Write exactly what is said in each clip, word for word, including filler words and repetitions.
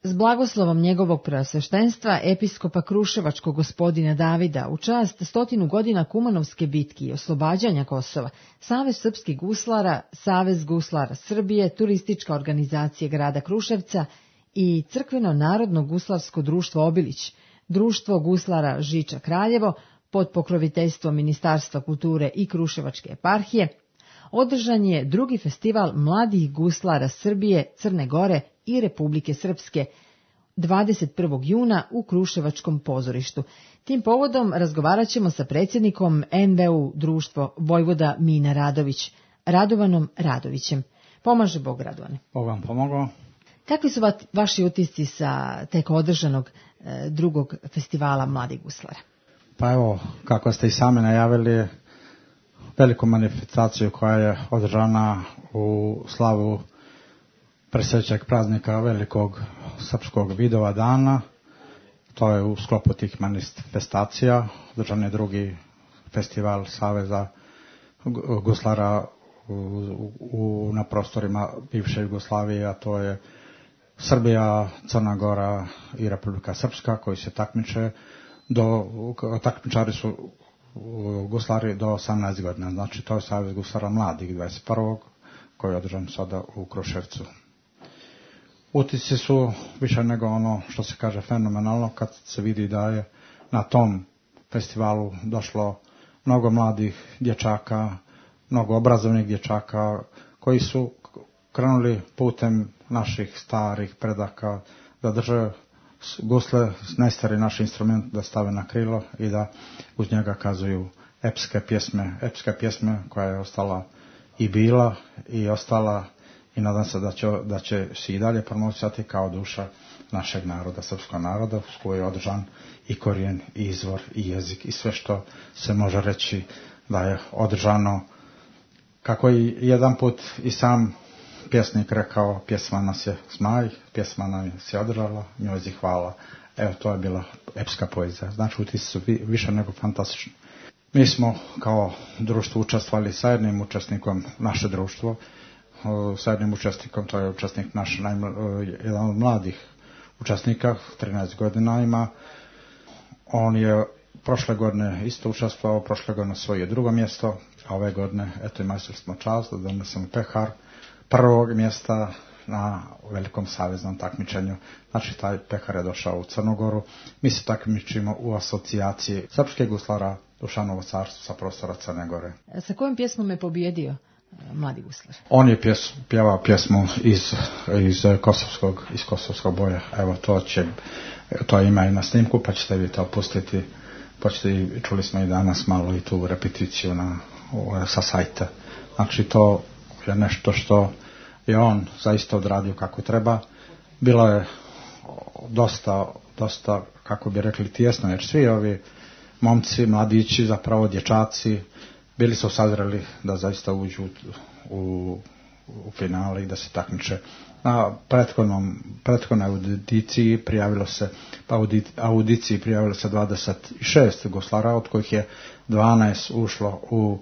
S blagoslovom njegovog preosveštenstva, episkopa Kruševačkog gospodina Davida, u čast stotinu godina Kumanovske bitke i oslobađanja Kosova, Savez srpskih guslara, Savez guslara Srbije, turistička organizacija grada Kruševca i Crkveno narodno guslarsko društvo Obilić, Društvo guslara Žiča Kraljevo, pod pokroviteljstvom Ministarstva kulture i Kruševačke eparhije, održan je drugi festival mladih guslara Srbije, Crne Gore i Republike Srpske dvadeset prvog juna u Kruševačkom pozorištu. Tim povodom razgovarat ćemo sa predsjednikom en ve u društvo Vojvoda Mina Radović, Radovanom Radovićem. Pomaže Bog, Radovane. Bog vam pomogao. Kakvi su va, vaši utisci sa tek održanog e, drugog festivala mladih guslara? Pa evo, kako ste i sami najavili, veliku manifestaciju koja je održana u slavu presvećeg praznika velikog srpskog Vidova dana. To je u sklopu tih manifestacija. Održan je drugi festival Saveza guslara u, u, na prostorima bivše Jugoslavije, a to je Srbija, Crna Gora i Republika Srpska, koji se takmiče do, takmičari su guslari do osamnaest godina. Znači to je Savez guslara mladih dvadeset prvog koji je održan sada u Kruševcu. Utisci su više nego ono što se kaže fenomenalno kad se vidi da je na tom festivalu došlo mnogo mladih dječaka, mnogo obrazovnih dječaka koji su krenuli putem naših starih predaka da drže gusle, najstari naš instrument, da stave na krilo i da uz njega kazuju epske pjesme, epske pjesme koja je ostala i bila i ostala i nadam se da će, da će se i dalje promovisati kao duša našeg naroda, srpskog naroda, s koji je održan i korijen, i izvor, i jezik, i sve što se može reći da je održano. Kako i jedan put i sam pjesnik rekao, pjesma nas je smaj, pjesma nam se održala, njoj hvala. Evo, to je bila epska poezija. Znači, utisci su više nego fantastični. Mi smo kao društvo učestvovali sa jednim učesnikom, naše društvo, sa jednim učesnikom, to je učesnik naš, jedan od mladih učesnika, trinaest godina ima. On je prošle godine isto učestvovao, prošle godine svoje drugo mjesto, a ove godine, eto, imali smo čast da donesemo pehar prvog mjesta na velikom saveznom takmičenju. Znači, taj pehar je došao u Crnu Goru. Mi se takmičimo u asocijaciji srpskih guslara Dušanovo carstvo sa prostora Crne Gore. Sa kojom pjesmom je pobjedio mladi guslar? On je pjes, pjevao pjesmu iz, iz, kosovskog, iz kosovskog boja. Evo, to će, to ima i na snimku, pa ćete vi to pustiti. Pa ćete, čuli smo i danas malo i tu repeticiju na, sa sajta. Znači, to je nešto što je on zaista odradio kako treba. Bilo je dosta, dosta, kako bi rekli, tijesno, jer svi ovi momci, mladići, zapravo dječaci, bili su sazreli da zaista uđu u, u finale i da se takmiče. Na prethodnom, prethodnoj audiciji prijavilo se, pa audiciji prijavilo se dvadeset šest guslara, od kojih je dvanaest ušlo u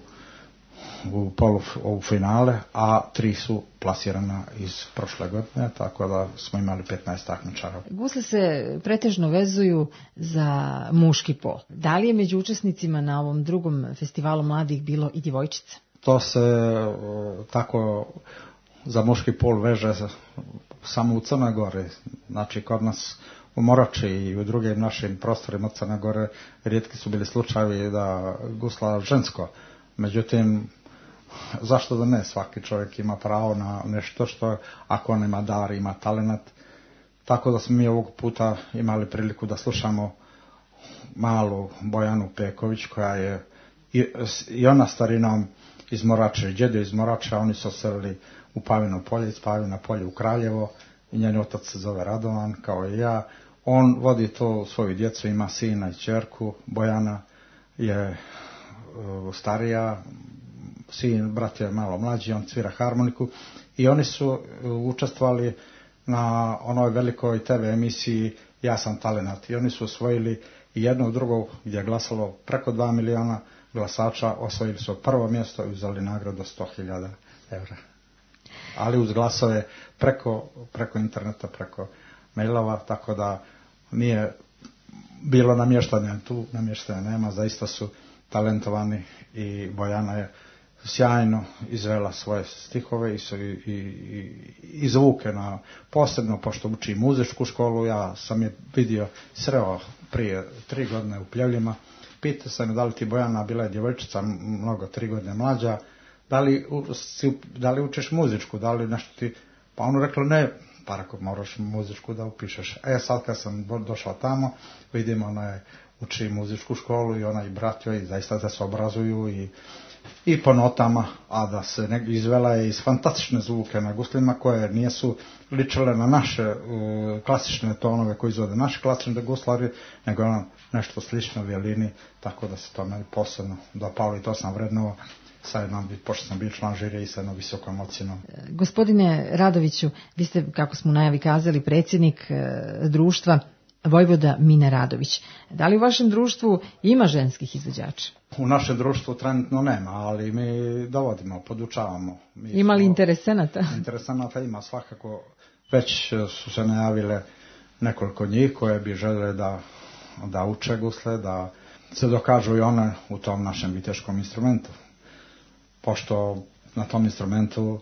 u polu u finale, a tri su plasirana iz prošle godine, tako da smo imali petnaest takmičara. Gusle se pretežno vezuju za muški pol. Da li je među učesnicima na ovom drugom festivalu mladih bilo i djevojčica? To se tako za muški pol veže samo u Crnoj Gori. Znači, kod nas u Morači i u drugim našim prostorima Crne Gore rijetki su bili slučajevi da gusla žensko. Međutim, zašto da ne? Svaki čovjek ima pravo na nešto što, ako on ima dar, ima talenat. Tako da smo mi ovog puta imali priliku da slušamo malu Bojanu Peković, koja je i, i ona starinom iz Morače, djedo iz Morača, oni su selili u Pavino polje, iz Pavina polje u Kraljevo, i njen otac se zove Radovan, kao i ja. On vodi to svoju djecu, ima sina i ćerku. Bojana je uh, starija, sin, brat je malo mlađi, on svira harmoniku, i oni su uh, učestvovali na onoj velikoj te ve emisiji Ja sam talenat, i oni su osvojili i jedno u drugo, gdje je glasalo preko dva miliona glasača, osvojili su prvo mjesto i uzeli nagradu sto hiljada eura. Ali uz glasove preko, preko interneta, preko mailova, tako da nije bilo namještanja tu, namještanja nema, zaista su talentovani i Bojana je sjajno izvela svoje stihove i, i, i, i zvuke, na, posebno pošto uči muzičku školu. Ja sam je vidio, sreo prije tri godine u Pljevljima, pitao sam da li ti Bojana, bila je djevojčica mnogo, tri godine mlađa, da li, da li učiš muzičku, da li nešto ti, pa ono reklo ne, pa rekao moraš muzičku da upišeš. E sad kad sam došla tamo, vidim ona je uči muzičku školu i ona i brat joj zaista da se obrazuju i i po notama, a da se ne, izvela je iz fantastične zvuke na guslima koje nijesu ličile na naše uh, klasične tonove koji izvode naši klasični guslari, nego ono nešto slično violini, tako da se to meni posebno dopalo i to sam vrednovao sa jednom, pošto sam bio član žirije i sa jednom visokom ocjenom. Gospodine Radoviću, vi ste, kako smo u najavi kazali, predsjednik e, društva Vojvoda Mine Radović. Da li u vašem društvu ima ženskih izvođača? U našem društvu trenutno nema, ali mi dovodimo, podučavamo. Mi ima li interesenata? Interesenata ima svakako. Već su se najavile nekoliko njih koje bi žele da, da uče gusle, da se dokažu i one u tom našem viteškom instrumentu. Pošto na tom instrumentu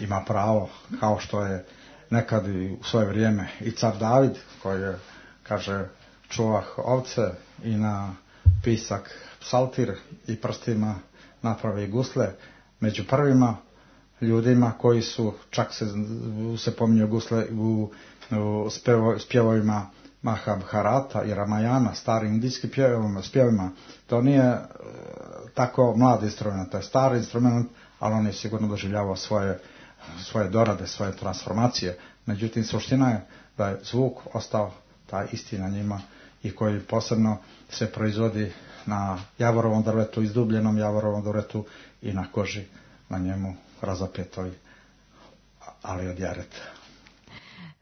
ima pravo, kao što je nekad i u svoje vrijeme i car David, koji je, kaže, čuvah ovce i na pisak psaltir i prstima napravi gusle, među prvima ljudima koji su, čak se, se pominju gusle u, u spevo, spjevovima Mahabharata i Ramayana, starim indijskim spjevima. To nije e, tako mlad instrument, to je stari instrument, ali on je sigurno doživljavao svoje, svoje dorade, svoje transformacije. Međutim, suština je da je zvuk ostao taj isti na njima i koji posebno se proizvodi na javorovom drvetu, izdubljenom javorovom drvetu i na koži na njemu razapetoj, ali od jareta.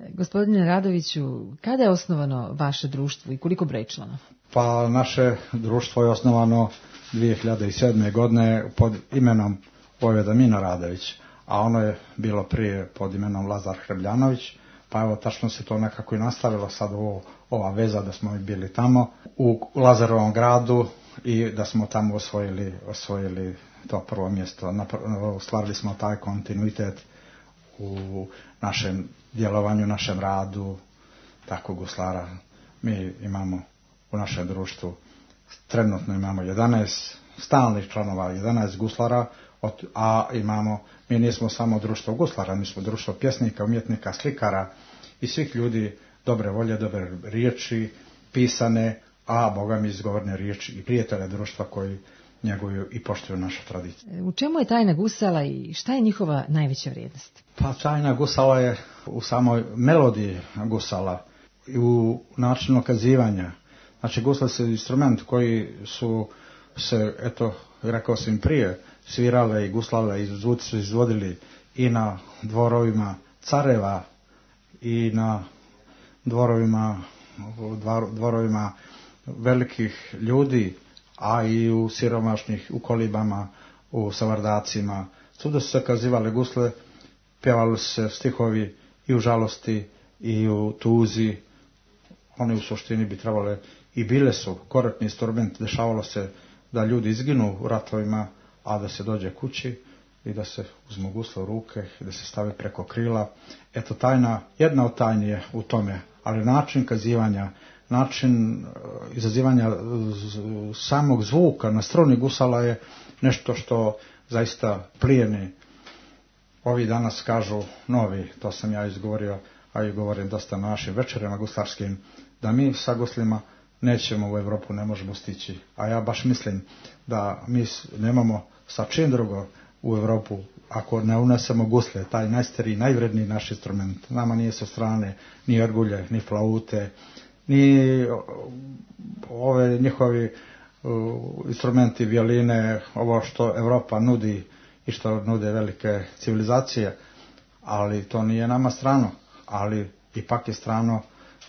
Gospodine Radoviću, kada je osnovano vaše društvo i koliko broji članova? Pa naše društvo je osnovano dvije hiljade sedme. godine pod imenom Vojvoda Mine Radović, a ono je bilo prije pod imenom Lazar Hrebljanović, pa evo tačno se to nekako i nastavilo sad ovo, ova veza da smo bili tamo u Lazarovom gradu i da smo tamo osvojili, osvojili to prvo mjesto. Ostvarili smo taj kontinuitet u našem djelovanju, našem radu, tako guslara. Mi imamo u našem društvu, trenutno imamo jedanaest stalnih članova, jedanaest guslara, a imamo, mi nismo samo društvo guslara, mi smo društvo pjesnika, umjetnika, slikara i svih ljudi dobre volje, dobre riječi, pisane, a Boga mi izgovorne riječi i prijatelja društva koji njeguju i poštuju našu tradiciju. U čemu je tajna gusala i šta je njihova najveća vrijednost? Pa tajna gusala je u samoj melodiji gusala i u načinu okazivanja. Znači gusle su instrument koji su se, eto, rekao sam prije, svirale i guslale i zvuci su izvodili i na dvorovima careva i na dvorovima, dvorovima velikih ljudi, a i u siromašnih, u kolibama, u savardacima. Svuda su se kazivale gusle, pjevali su se stihovi i u žalosti i u tuzi. One u suštini bi trebale i bile su korektni instrument. Dešavalo se da ljudi izginu u ratovima, a da se dođe kući i da se uzmu gusle u ruke i da se stave preko krila. Eto, tajna, jedna od tajni je u tome, ali način kazivanja, način izazivanja samog zvuka na struni gusala je nešto što zaista plijeni. Ovi danas kažu novi, to sam ja izgovorio, a i govorim dosta na našim večerima guslarskim, da mi sa guslima nećemo u Europu, ne možemo stići. A ja baš mislim da mi nemamo sa čim drugo u Europu ako ne unesemo gusle, taj najstariji, najvredniji naš instrument. Nama nije sa strane ni orgulje, ni flaute, ni ove njihovi uh, instrumenti, violine, ovo što Europa nudi i što nude velike civilizacije, ali to nije nama strano, ali ipak je strano,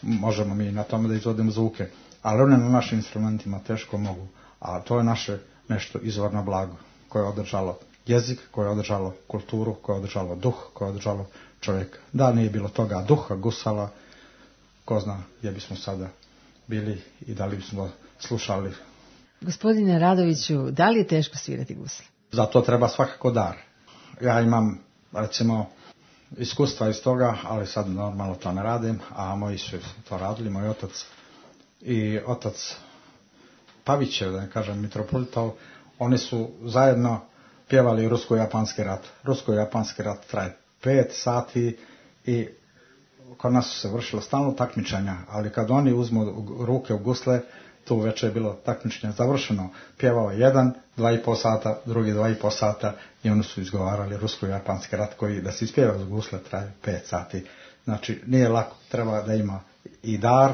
možemo mi na tome da izvodimo zvuke, ali one na našim instrumentima teško mogu, a to je naše nešto izvorno blago koje je održalo jezik, koje je održalo kulturu, koje je održalo duh, koje je održalo čovjeka. Da nije bilo toga duha gusala, ko zna gdje bismo sada bili i da li bismo slušali. Gospodine Radoviću, da li je teško svirati gusle? Za to treba svakako dar. Ja imam, recimo, iskustva iz toga, ali sad normalno to ne radim, a moji su to radili, moj otac i otac Pavićev, da ne kažem mitropolitov, oni su zajedno pjevali rusko-japanski rat. Rusko-japanski rat traje pet sati i kod nas su se vršilo stalno takmičenja, ali kad oni uzmu ruke u gusle, tu već je bilo takmičenje završeno. Pjevao jedan, dva i pol sata, drugi dva i pol sata i oni su izgovarali rusko-japanski rat koji da se ispjeva uz gusle traje pet sati. Znači nije lako, treba da ima i dar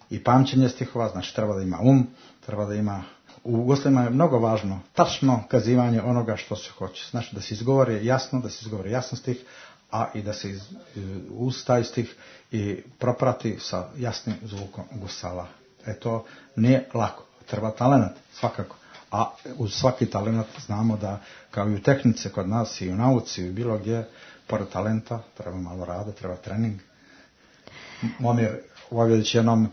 i pamćenje stihova, znači treba da ima um, treba da ima, u guslima je mnogo važno tačno kazivanje onoga što se hoće. Znači da se izgovori jasno, da se izgovori jasno stih, a i da se iz, uz taj stih i proprati sa jasnim zvukom gusala. E to nije lako, treba talenat svakako, a uz svaki talenat znamo da kao i u tehnici kod nas i u nauci i bilo gdje, pored talenta treba malo rada, treba trening. Momir Vojvodić jednom,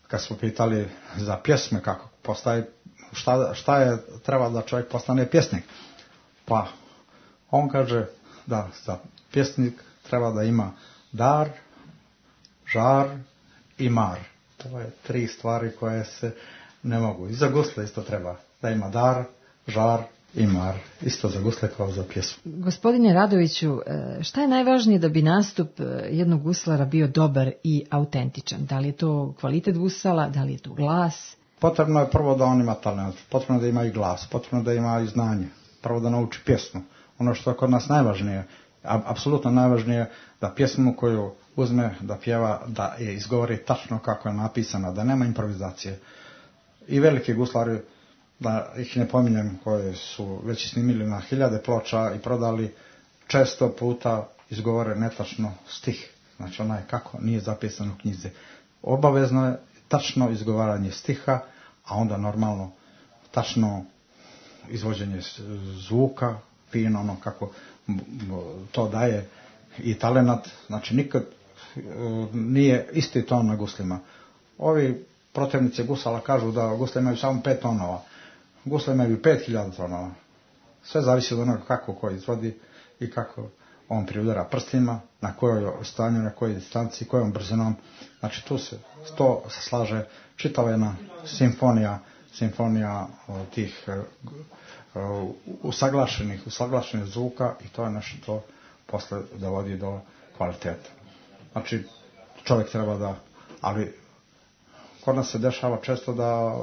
kad smo pitali za pjesme, kako postaje, šta, šta je treba da čovjek postane pjesnik, pa on kaže da za pjesnik treba da ima dar, žar i mar. To je tri stvari koje se ne mogu. I za gusle isto treba da ima dar, žar i mar. Isto za gusle kao za pjesmu. Gospodine Radoviću, šta je najvažnije da bi nastup jednog guslara bio dobar i autentičan? Da li je to kvalitet gusala, da li je to glas? Potrebno je prvo da on ima talent, potrebno da ima i glas, potrebno da ima i znanje, prvo da nauči pjesmu. Ono što je kod nas najvažnije, apsolutno najvažnije, da pjesmu koju uzme da pjeva, da je izgovori tačno kako je napisana, da nema improvizacije. I veliki guslari, da ih ne pominjem, koje su već snimili na hiljade ploča i prodali, često puta izgovore netačno stih. Znači onaj kako nije zapisan u knjizi. Obavezno je tačno izgovaranje stiha, a onda normalno tačno izvođenje zvuka, fino ono kako to daje i talenat. Znači nikad nije isti ton na guslima. Ovi protivnici gusala kažu da gusle imaju samo pet tonova. Gusle imaju pet hiljada tonova. Sve zavisi od onoga kako ko izvodi i kako on priudara prstima, na kojoj stanju, na kojoj distanci, kojom brzinom. Znači tu se to se slaže čitava jedna simfonija, simfonija tih uh, usaglašenih, usaglašenih zvuka i to je nešto to posle dovodi do kvaliteta. Znači čovjek treba da, ali kod nas se dešava često da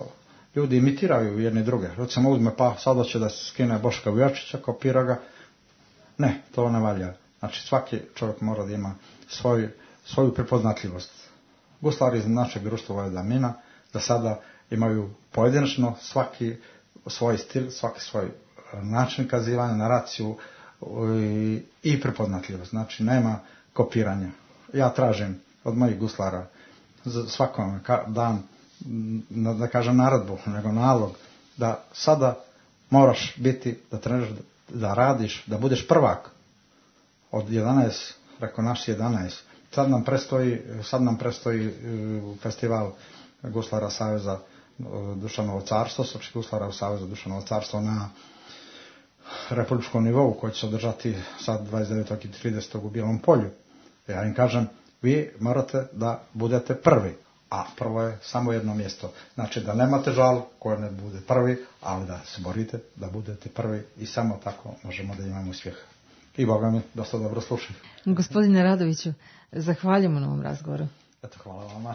ljudi imitiraju jedni druge. Recimo uzme pa sada će da se skine Boška Vujačića, kopira ga. Ne, to ne valja. Znači svaki čovjek mora da ima svoj, svoju prepoznatljivost. Guslari iz našeg društva Vojvodina da sada imaju pojedinačno svaki svoj stil, svaki svoj način kazivanja, naraciju i, i prepoznatljivost. Znači nema kopiranja. Ja tražim od mojih guslara za svakom dan, da kažem naredbu, nego nalog, da sada moraš biti, da treniraš, da radiš, da budeš prvak od jedanaest, preko naš jedanaest. Sad nam prestoji, sad nam prestoji festival guslara Saveza Dušanovo carstvo, srpskih guslara u Savezu Dušanovo carstvo na republičkom nivou koji će se održati sad dvadeset devetog i tridesetog u Bijelom Polju. Ja im kažem, vi morate da budete prvi, a prvo je samo jedno mjesto. Znači da nemate žal ko ne bude prvi, ali da se borite da budete prvi i samo tako možemo da imamo uspjeh. I Boga mi dosta dobro slušaju. Gospodine Radoviću, zahvaljujemo na ovom razgovoru. Eto, hvala vama.